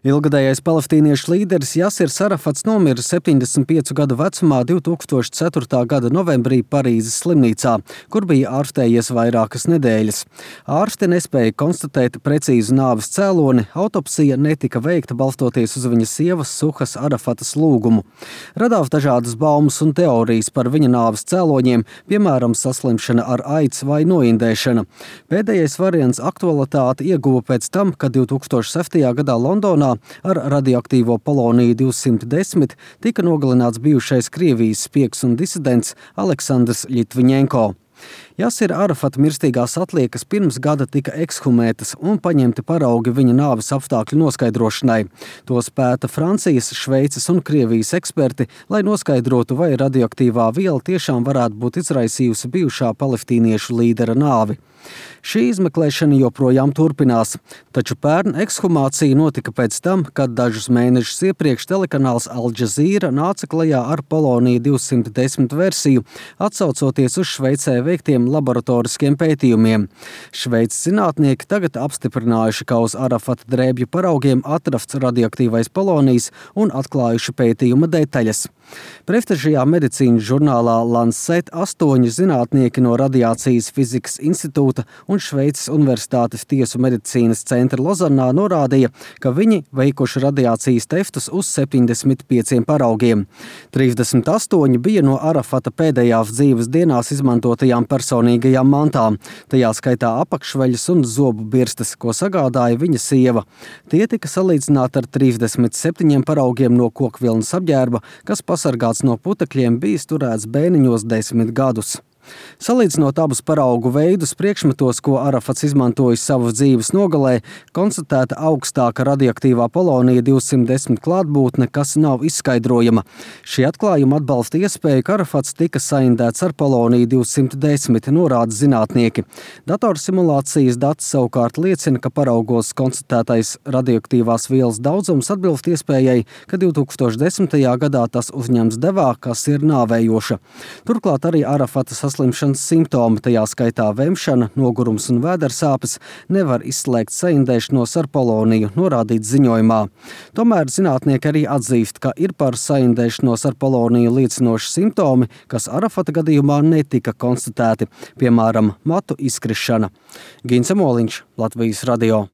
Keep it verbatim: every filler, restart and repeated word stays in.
Ilgadējais palestīniešu līderis Jasirs Arafats nomira septiņdesmit piecu gadu vecumā divi tūkstoši ceturtā gada novembrī Parīzes slimnīcā, kur bija ārstējies vairākas nedēļas. Ārsti nespēja konstatēt precīzu nāves cēloni, autopsija netika veikta balstoties uz viņa sievas Suhas Arafatas lūgumu. Radās dažādas baumas un teorijas par viņa nāves cēloņiem, piemēram, saslimšana ar aids vai noindēšana. Pēdējais variants aktualitāti ieguva pēc tam, kad divi tūkstoši septītajā gadā Londonā ar radioaktīvo poloniju divsimt desmit tika nogalināts bijušais Krievijas spiegs un disidents Aleksandrs Ļitviņenko. Jasira Arafata mirstīgās atliekas pirms gada tika ekshumētas un paņemti paraugi viņa nāves apstākļu noskaidrošanai. Tos pēta Francijas, Šveices un Krievijas eksperti, lai noskaidrotu, vai radioaktīvā viela tiešām varētu būt izraisījusi bijušā palestīniešu līdera nāvi. Šī izmeklēšana joprojām turpinās, taču pērn ekshumācija notika pēc tam, kad dažus mēnešus iepriekš telekanāls Al Jazeera nāca klajā ar poloniju divsimt desmit versiju, atsaucoties uz Šveicē veiktiem laboratoriskiem pētījumiem. Šveices zinātnieki tagad apstiprinājuši, ka uz Arafata drēbju paraugiem atrasts radioaktīvais polonijs un atklājuši pētījuma detaļas. Prestižajā medicīnas žurnālā Lancet astoņi zinātnieki no Radiācijas fizikas institūta un Šveices Universitātes tiesu medicīnas centra Lozannā norādīja, ka viņi veikuši radiācijas testus uz septiņdesmit pieciem paraugiem. trīsdesmit astoņi bija no Arafata pēdējās dzīves dienās izmantotajām personīgajām mantām, tajā skaitā apakšveļas un zobu birstes, ko sagādāja viņa sieva. Tie tika salīdzināti ar trīsdesmit septiņiem paraugiem no kokvilnas apģērba, kas pasargāts no putekļiem bijis turēts bēniņos desmit gadus. Salīdzinot abus paraugu veidus priekšmetos, ko Arafats izmantojis savas dzīves nogalē, konstatēta augstāka radioaktīvā polonija divsimt desmit klātbūtne, kas nav izskaidrojama. Šie atklājumi atbalsta iespēju, ka Arafats tika saindēts ar poloniju divsimt desmit, norāda zinātnieki. Datorsimulācijas dati savukārt liecina, ka paraugos konstatētais radioaktīvās vielas daudzums atbilst iespējai, ka divi tūkstoši desmitajā gadā tas uzņems devā, kas ir nāvējoša. Turklāt arī Arafata saslimšanas simptomi, tajā skaitā vemšana, nogurums un vēdersāpes, nevar izslēgt saindēšanos ar poloniju, norādīts ziņojumā. Tomēr zinātnieki arī atzīst, ka ir par saindēšanos ar poloniju liecinoši simptomi, kas Arafata gadījumā netika konstatēti, piemēram, matu izkrišana. Gins Emoliņš, Latvijas radio.